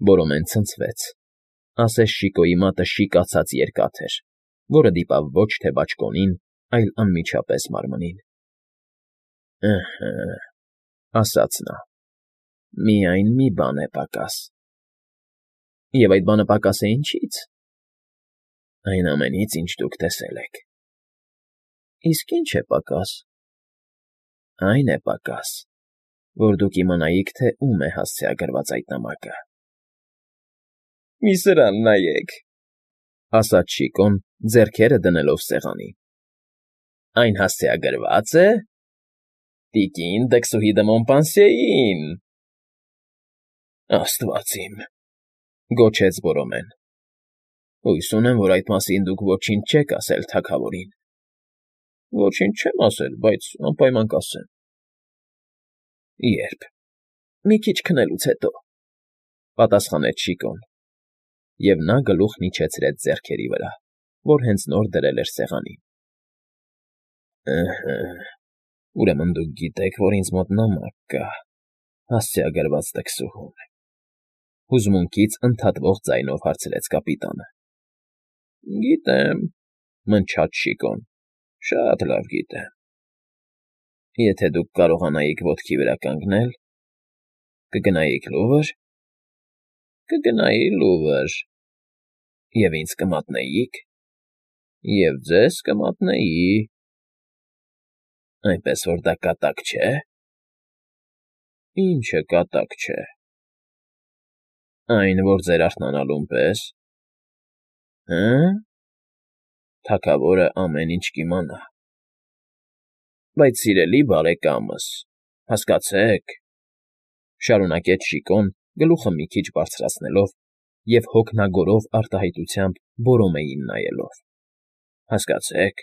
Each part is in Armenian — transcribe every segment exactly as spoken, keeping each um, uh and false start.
Բորոմեն ցնցվեց, ասես Շիկոյի մատը շիկացած երկաթ էր, որը դիպավ ոչ թե բաճկոնին, այլ անմիջապես մարմնին։ ֊ Ըհը,֊ ասաց նա,֊ միայն մի բան է պակաս։ ֊ Եվ այդ բանը պակաս է ինչի՞ց։ ֊ Այն ամենից, ինչ դուք տեսել եք։ ֊ Իսկ ի՞նչ է պակաս։ ֊ Այն է պակաս, որ դուք իմանայիք, թե ում է հասցեագրված այդ նամակը։ ֊ Մի սրան նայեք,֊ ասաց Շիկոն, ձեռքերը դնելով սեղանին։ ֊ Այն հասցեագրվա՞ծ է։ տիկին Դքսուհի դը Մոնպանսիեին… Աստված իմ,֊ գոչեց Բորոմեն։ Հույս ունեմ, որ այդ մասին դուք ոչինչ չեք ասել թագավորին։ ֊ Ոչինչ չեմ ասել, բայց անպայման կասեմ։ ֊ Ե՞րբ։ ֊ Մի քիչ քնելուց հետո,֊ պատասխանեց Շիկոն, և նա գլուխն իջեցրեց ձեռքերի վրա, որ հենց նոր դրել էր սեղանին։ ֊ Ըհը, ուրեմն դուք գիտեք, որ ինձ մոտ նամակ կա, հասցեագրված դքսուհուն,֊ հուզմունքից ընդհատվող ձայնով հարցրեց կապիտանը։ ֊ Գիտեմ,֊ մնչաց Շիկոն,֊ շատ լավ գիտեմ։ ֊ Եթե դուք կարողանայիք ոտքի վրա կանգնել, կգնայիք լո՞ւվր։ ֊ Կգնայի լուվր։ ֊ Եվ ինձ կմատնեի՞ք։ ֊ Եվ ձեզ կմատնեի։ ֊ Այնպես որ դա կատակ չէ։ ֊ Ի՞նչը կատակ չէ։ ֊ Այն, որ ձեր արթնանալուն պես։ ֊ Հը՞մ… Թագավորը ամեն ինչ կիմանա։ ֊ Բայց, սիրելի բարեկամս, հասկացեք,֊ շարունակեց Շիկոն, գլուխը մի քիչ բարձրացնելով և հոգնագորով արտահայտությամբ Բորոմեին նայելով,֊ հասկացեք,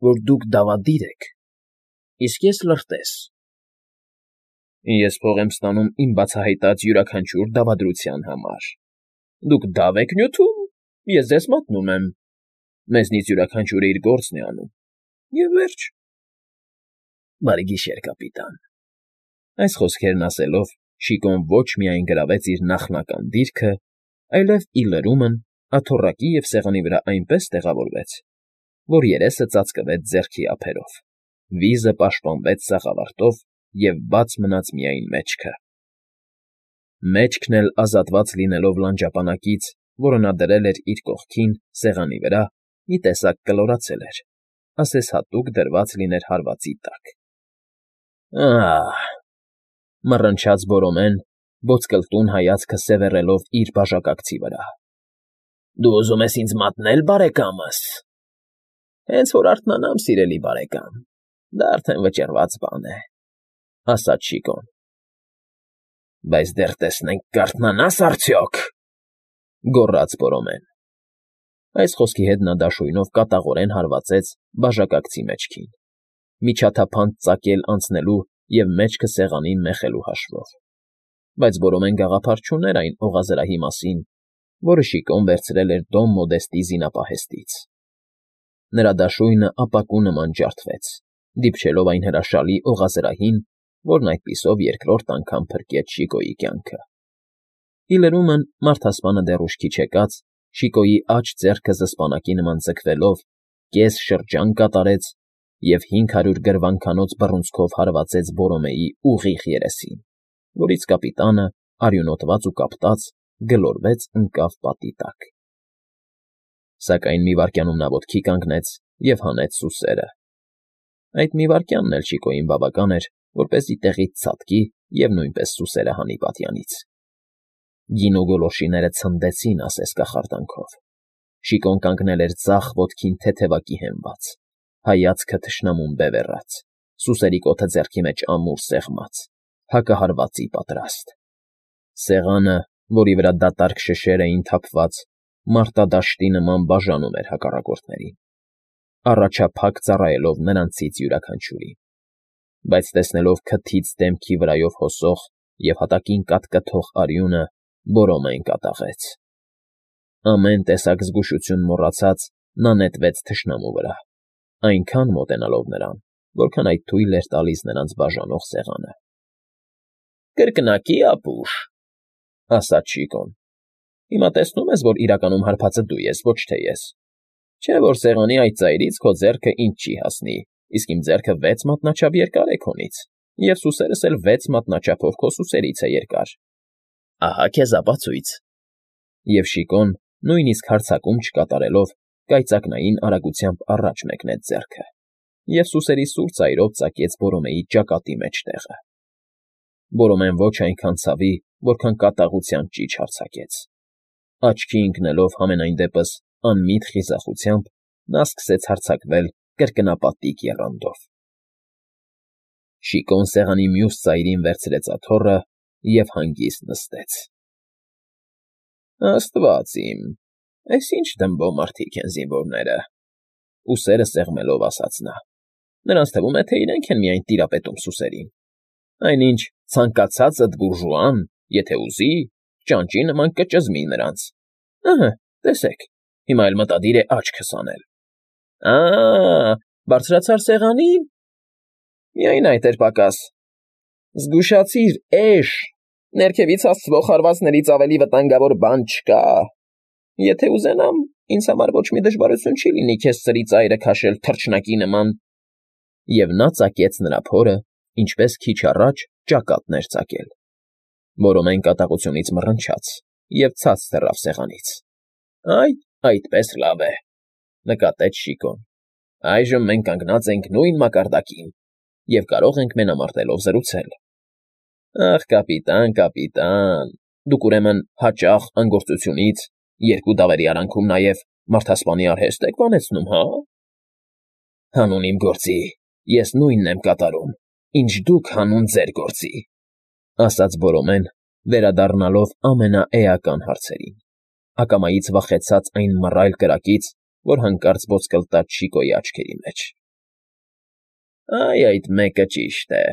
որ դուք դավադիր եք, իսկ ես լրտես։ Ես փող եմ ստանում իմ բացահայտած յուրաքանչյուր դավադրության համար։ Դուք դավ եք նյութում, ես ձեզ մատնում եմ, մեզնից յուրաքանչյուրը իր գործն է անում, և վերջ։ ֊ Բարի գիշեր, կապիտան… Այս խոսքերն ասելով Շիկոն ոչ միայն գրավեց իր նախնական դիրքը, այլև, ի լրումն, աթոռակի և սեղանի վրա այնպես տեղավորվեց, որ երեսը ծածկվեց ձեռքի ափերով, վիզը պաշտպանվեց սաղավարտով և բաց մնաց միայն մեջքը։ Մեջքն էլ ազատված լինելով լանջապանակից, որը նա դրել էր իր կողքին, սեղանի վրա, մի տեսակ կլորացել էր, ասես հատուկ դրված լիներ հարվածի տակ։ ֊ Ա՜հ,֊ մռնչաց Բորոմեն, ոսկլտուն հայացքը սևեռելով իր բաժակակցի վրա։֊ Դու ուզում ես ինձ մատնել, բարեկամս… Հենց որ արթնանամ, սիրելի բարեկամ, դա արդեն վճռված բան է,֊ ասաց Շիկոն։ ֊ Բայց դեռ տեսնենք կարթնանա՞ս արդյոք,֊ գոռաց Բորոմեն։ Այս խոսքի հետ նա դաշույնով կատաղորեն հարվածեց բաժակակցի մեջքին, միջաթափանց ծակել անցնելու և մեջքը սեղանին մեխելու հաշվով, բայց Բորոմեն գաղափար չուներ այն օղազրահի մասին, որը Շիկոն վերցրել էր Դոն Մոդեստի զինապահեստից։ Նրա դաշույնը ապակու նման ջարդվեց, դիպչելով այն հրաշալի օղազրահին, որն այդպիսով երկրորդ անգամ փրկեց Շիկոյի կյանքը։ Ի լրումն, մարդասպանը դեռ ուշքի չեկած, Շիկոյի աջ ձեռքը զսպանակի նման ձգվելով, կես շրջան կատարեց և հինգ հարյուր գրվանքանոց բռունցքով հարվածեց Բորոմեի ուղիղ երեսին, որից կապիտանը, արյունոտված ու կապտած, գլորվեց ընկավ պատի տակ։ Սակայն մի վայրկյանում նա ոտքի կանգնեց և հանեց սուսերը։ Այդ մի վայրկյանն էլ Շիկոյին բավական էր, որպեսզի տեղից ցատկի և նույնպես սուսերը հանի պատյանից։ Գինու գոլորշիները ցնդեցին ասես կախարդանքով։ Շիկոն կանգնել էր ձախ ոտքին թեթևակի հենված, հայացքը թշնամուն բևեռած, սուսերի կոթը ձեռքի մեջ ամուր սեղմած, հակահարվածի պատրաստ։ Սեղանը, որի վրա դատարկ շշեր էին թափված, մարտադաշտի նման բաժանում էր հակառակորդներին, առաջափակ ծառայելով նրանցից յուրաքանչյուրին։ Բայց տեսնելով քթից դեմքի վրայով հոսող և հատակին կատկթող արյունը, Բորոմեն կատաղեց։ Ամեն տեսակ զգուշություն մոռացած՝ նա նետվեց թշնամու վրա, այնքան մոտենալով նրան, որքան այդ թույլ էր տալիս նրանց բաժանող սեղանը։ ֊ Կրկնակի, ապուշ,֊ ասաց Շիկոն։ Հիմա տեսնում ես, որ իրականում հարբածը դու ես, ոչ թե ես։ Չէ՞ որ սեղանի այդ ծայրից քո ձեռքը ինձ չի հասնի, իսկ իմ ձեռքը վեց մատնաչափ երկար է քոնից, և սուսերս էլ վեց մատնաչափով քո սուսերից է երկար։ Ահա քեզ ապացույց։ Եվ Շիկոն, նույնիսկ հարձակում չկատարելով, կայծակնային արագությամբ առաջ մեկնեց ձեռքը, և սուսերի սուր ծայրով ծակեց Բորոմեի ճակատի մեջտեղը։ Բորոմեն ոչ այնքան ցավի, որքան կատաղության ճիչ հարձակեց։ Աչքի ընկնելով համենայն դեպս անմիտ խիզախությամբ, նա սկսեց հարձակվել կրկնապատիկ եռանդով։ Շիկոն սեղանի մյուս ծայրին վերցրեց աթոռը և հանգիստ նստեց։ Աստված իմ, այս ինչ դմբո մարդիկ են զինվորները, ուսերը սեղմելով ասաց նա։ Նրանց թվում է, թե իրենք են միայն տիրապետում սուսերին։ Այնինչ ցանկացածդ բուրժուան, եթե ուզի, ճանճի նման կճզմի նրանց։ Ըհը, տեսեք, հիմա էլ մտադիր է աչքս անել։ Ա՜, բարձրացար սեղանին։ Միայն այդ էր պակաս։ Զգուշացիր, էշ, ներքևից հասցվող հարվածներից ավելի վտանգավոր բան չկա։ Եթե ուզենամ, ինձ համար ոչ մի դժվարություն չի լինի քեզ սրի ծայրը քաշել թռչնակի նման։ Եվ նա ծակեց նրա փորը, ինչպես քիչ առաջ ճակատն էր ծակել։ Բորոմեն կատաղությունից մռնչաց և ցած թռավ սեղանից։ Այ, այդպես լավ է, նկատեց Շիկոն։ Այժմ մենք կանգնած ենք նույն մակարդակին և կարող ենք մենամարտելով զրուցել։ Ախ, կապիտան, կապիտան, դուք ուրեմն հաճախ անգործությունից, երկու դավերի արանքում նաև մարդասպանի արհեստ եք բանեցնում, հա՞։ Հանուն իմ գործի, ես նույնն եմ կատարում, ինչ դուք հանուն ձեր գործի, ասաց Բորոմեն, վերադառնալով ամենաէական հարցերին, ակամայից վախեցած այն մռայլ կրակից, որ հանկարծ ոսկլտաց Շիկոյի աչքերի մեջ։ Այ այդ մեկը ճիշտ է,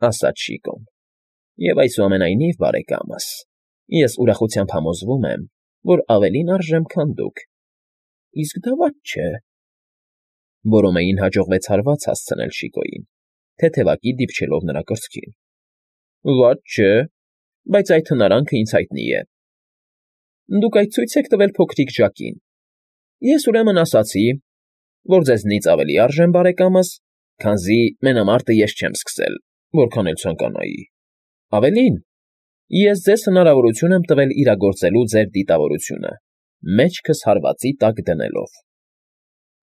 ասաց Շիկոն, և այսուամենայնիվ, բարեկամս, ես ուրախությամբ համոզվում եմ, որ ավելին արժեմ, քան դուք։ Իսկ դա վատ չէ։ Բորոմեին հաջողվեց հարված հասցնել Շիկոյին, թեթևակի դիպչելով նրա կրծքին։ Վատ չէ, բայց այդ հնարանքը ինձ հայտնի է։ Դուք այդ ցույց եք տվել փոքրիկ Ժակին։ Ես ուրեմն ասացի, որ ձեզնից ավելի արժեմ, բարեկամս, քանզի մենամարտը ես չեմ սկսել, որքան էլ ցանկանայի։ Ավելին, ես ձեզ հնարավորություն եմ տվել իրագործելու ձեր դիտավորությունը, մեջքս հարվածի տակ դնելով։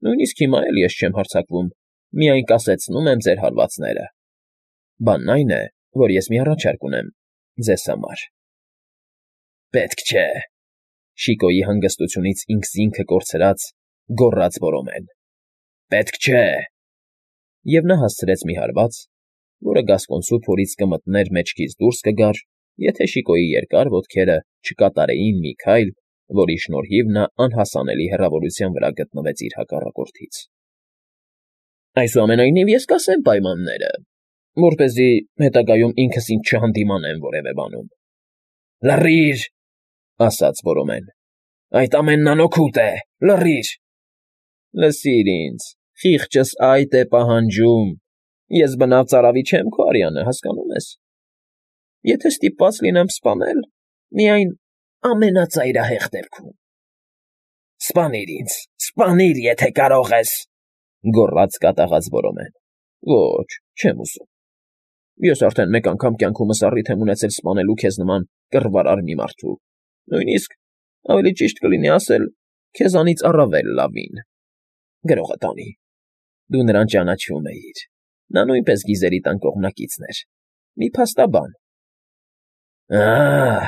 Նույնիսկ հիմա էլ ես չեմ հարձակվում, միայն կասեցնում եմ ձեր հարվածները։ Բանն այն է, որ ես մի առաջարկ ունեմ ձեզ համար։ Պետք չէ, Շիկոյի հանգստությունից ինքս ինքը կորցրած, գոռաց Բորոմեն։ Պետք չէ։ Եվ նա հասցրեց մի հարված, որը գասկոնցու փորից կմտներ մեջքից դուրս կգար, եթե Շիկոյի երկար ոտքերը չկատարեին մի քայլ, որի շնորհիվ նա անհասանելի հեռավորության վրա գտնվեց իր հակառակորդից։ Այսուամենայնիվ ես կասեմ պայմանները, որպեսզի հետագայում ինքս ինձ չհանդիմանեմ որևէ բանում։ Լռի՛ր, ասաց Բորոմեն։ Այդ ամենն անօգուտ է, լռի՛ր։ Լսիր ինձ, խիղճս այդ է պահանջում։ Ես բնավ ծարավի չեմ քո արյանը, հասկանում ես։ Եթե ստիպված լինեմ սպանել, միայն ամենածայրահեղ դեպքում։ Սպանիր ինձ, սպանիր, եթե կարող ես, գոռաց կատաղած Բորոմեն։ Ոչ, չեմ ուզում։ Ես արդեն մեկ անգամ կյանքումս առիթ եմ ունեցել սպանելու քեզ նման կռվարար մի մարդու, նույնիսկ, ավելի ճիշտ կլինի ասել, քեզանից առավել լավին։ Գրողը տանի։ Դու նրան ճանաչում էիր, նա նույնպես գիզերի տան կողմնակիցն էր, մի փաստաբան։ Ահ,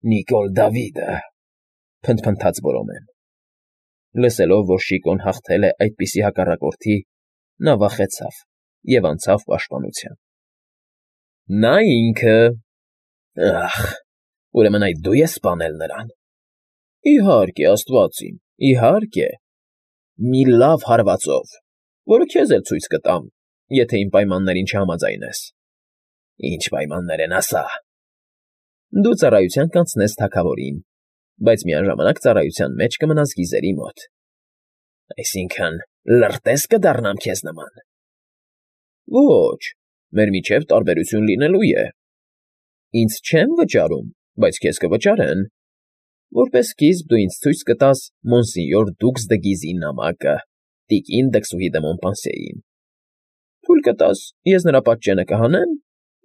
Նիկոլ Դավիդը, փնթփնթաց Բորոմեն։ Լսելով, որ Շիկոն հաղթել է այդպիսի հակառակորդի, նա վախեցավ և անցավ պաշտպանության։ Նա ինքը։ Ախ, ուրեմն այդ դու ես սպանել նրան։ Իհարկե, աստված իմ, իհարկե։ Մի լավ հարվածով, որը քեզ էլ ցույց կտամ, եթե իմ պայմաններին չհամաձայնես։ Ինչ պայմաններ են, ասա։ Դու ծառայության կանցնես թագավորին, բայց միաժամանակ ծառայության մեջ կմնաս գիզերի մոտ։ Այսինքն, լրտես կդառնամ քեզ նման։ Ոչ, մեր միջև տարբերություն լինելու է։ Ինձ չեմ վճարում, բայց քեզ կվճարեն։ Որպես սկիզբ դու ինձ ցույց կտաս Մոնսինյոր Դուքս դը Գիզի նամակը, տիկին դքսուհի դը Մոնպանսիեին։ Թույլ կտաս, ես նրա պատճենը կհանեմ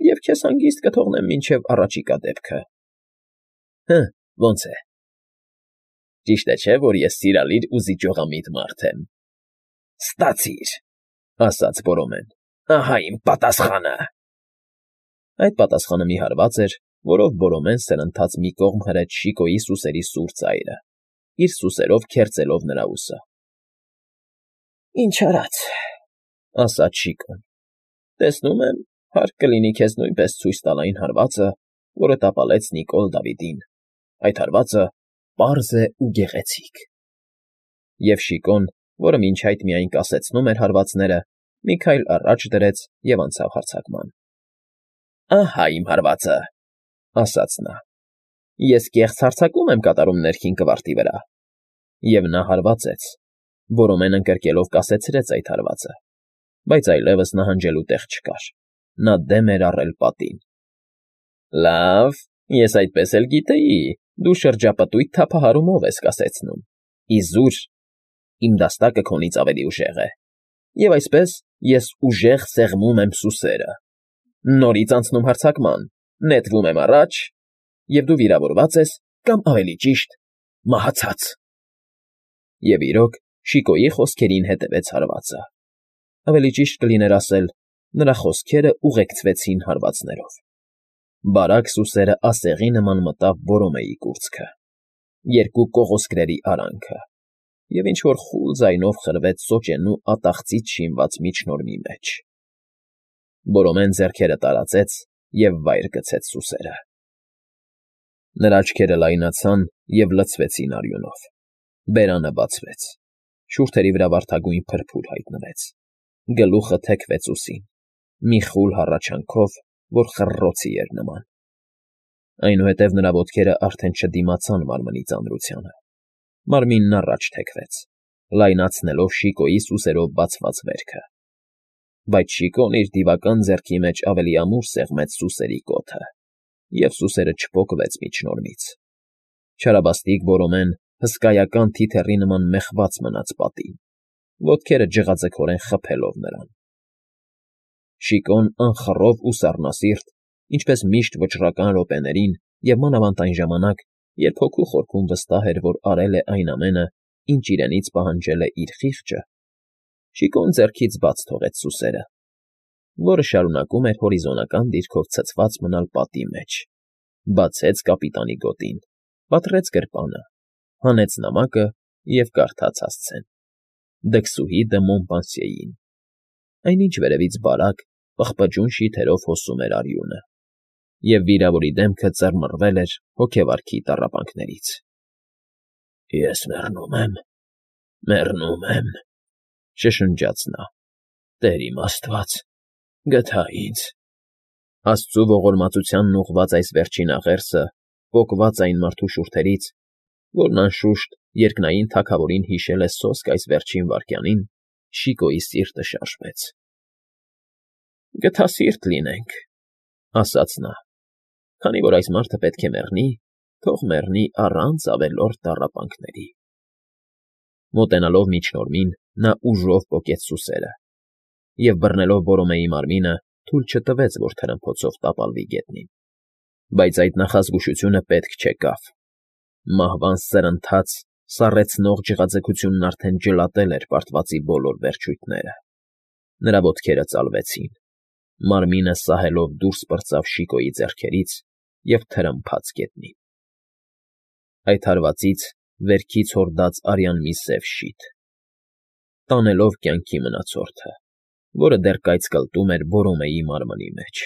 և քեզ հանգիստ կթողնեմ մինչև առաջիկա դեպքը։ Հը, ո՞նց է։ Ճիշտ է, չէ, որ ես սիրալիր ու զիջողամիտ մարդ եմ։ Ստացիր, ասաց Բորոմեն, ահա իմ պատասխանը։ Այդ պատասխանը մի հարված էր, որով Բորոմեն սրընթաց մի կողմ հրեց Շիկոյի սուսերի սուր ծայրը, իր սուսերով քերծելով նրա ուսը։ Ինչ արած, ասաց Շիկոն, տեսնում եմ, հարկ կլինի քեզ նույնպես ցույց տալ այն հարվածը, որը տապալեց Նիկոլ Դավիդին, այդ հարվածը պարզ է ու գեղեցիկ։ Եվ Շիկոն, որը մինչ այդ միայն կասեցնում էր հարվածները, մի քայլ առաջ դրեց և անցավ հարձակման։ Ահա իմ հարվածը, ասաց նա, ես կեղծ հարձակում եմ կատարում ներքին կվարտի վրա։ Եվ նա հարվածեց, Բորոմեն ընկրկելով կասեցրեց այդ հարվածը, բայց այլևս նահանջելու տեղ չկար, նա դեմ էր առել պատին։ Լավ, ես այդպես էլ գիտեի, դու շրջապտույտ թափահարումով ես կասեցնում, իզուր, իմ դաստակը քոնից ավելի ուժեղ է, և այսպես ես ուժեղ սեղմում եմ սուսերը, նորից անցնում հարձակման, նետվում եմ առաջ, և դու վիրավորված ես, կամ ավելի ճիշտ, մահացած։ Եվ իրոք, Շիկոյի խոսքերին հետևեց հարվածը։ Ավելի ճիշտ կլիներ ասել, նրա խոսքերը ուղեկցվեցին հարվածներով։ Բարակ սուսերը ասեղի նման մտավ Բորոմեի կուրծքը, երկու կողոսկրերի արանքը, և ինչ֊որ խուլ ձայնով խրվեց սոճենու ատաղծից շինված միջնորմի մեջ։ Բորոմեն ձեռքերը տարածեց և վայր գցեց սուսերը։ Նրա աչքերը լայնացան և լցվեցին արյունով, բերանը բացվեց, շուրթերի վրա վարդագույն փրփուր հայտնվեց, գլուխը թեքվեց ուսին, մի խուլ հառաչանքով, որ խռռոցի էր նման։ Այնուհետև նրա ոտքերը արդեն չդիմացան մարմնի ծանրությանը, մարմինն առաջ թեքվեց, լայնացնելով Շիկոյի սուսերով բացված վերքը։ Բայց Շիկոն իր դիվական ձեռքի մեջ ավելի ամուր սեղմեց սուսերի կոթը, և սուսերը չպոկվեց միջնորմից։ Չարաբաստիկ Բորոմեն հսկայական թիթեռի նման մեխված մնաց պատին, ոտքերը ջղաձգորեն խփելով նրան։ Շիկոն անխռով ու սառնասիրտ, ինչպես միշտ վճռական րոպեներին և մանավանդ այն ժամանակ, երբ հոգու խորքում վստահ էր, որ արել է այն ամենը, ինչ իրենից պահանջել է իր խիղճը, Շիկոն ձեռքից բաց թողեց սուսերը, որը շարունակում էր հորիզոնական դիրքով ցցված մնալ պատի մեջ, բացեց կապիտանի գոտին, պատռեց գրպանը, հանեց նամակը և կարդաց հասցեն. Դքսուհի դը Մոնպանսիեին։ Այնինչ վերևից բարակ, պղպջուն շիթերով հոսում էր արյունը, և վիրավորի դեմքը ծռմռվել էր հոգեվարքի տառապանքներից։ Ես մեռնում եմ, մեռնում եմ, շշնջաց նա, Տեր իմ Աստված, գթա ինձ։ Աստծու ողորմածությանն ուղղված այս վերջին աղերսը պոկված այն մարդու շուրթերից, որն անշուշտ երկնային թագավորին հիշել է սոսկ այս վերջին վայրկյանին, Շիկոյի սիրտը շարժվեց։ Գթասիրտ լինենք, ասաց նա, քանի որ այս մարդը պետք է մեռնի, թող մեռնի առանց ավելորդ տառապանքների։ Մոտենալով միջնորմին, նա ուժով պոկեց սուսերը և, բռնելով Բորոմեի մարմինը, թույլ չտվեց, որ թրմփոցով տապալվի գետնին։ Բայց այդ նախազգուշությունը պետք չեկավ։ Մահվան սրընթաց, սառեցնող ջղաձգությունն արդեն ջլատել էր պարտվածի բոլոր վերջույթները։ Նրա ոտքերը ծալվեցին, մարմինը սահելով դուրս պրծավ Շիկոյի ձեռքերից և թրմփաց գետնին։ Այդ հարվածից վերքից հորդաց արյան մի սև շիթ, տանելով կյանքի մնացորդը, որը դեռ կայծկլտում էր Բորոմեի մարմնի մեջ։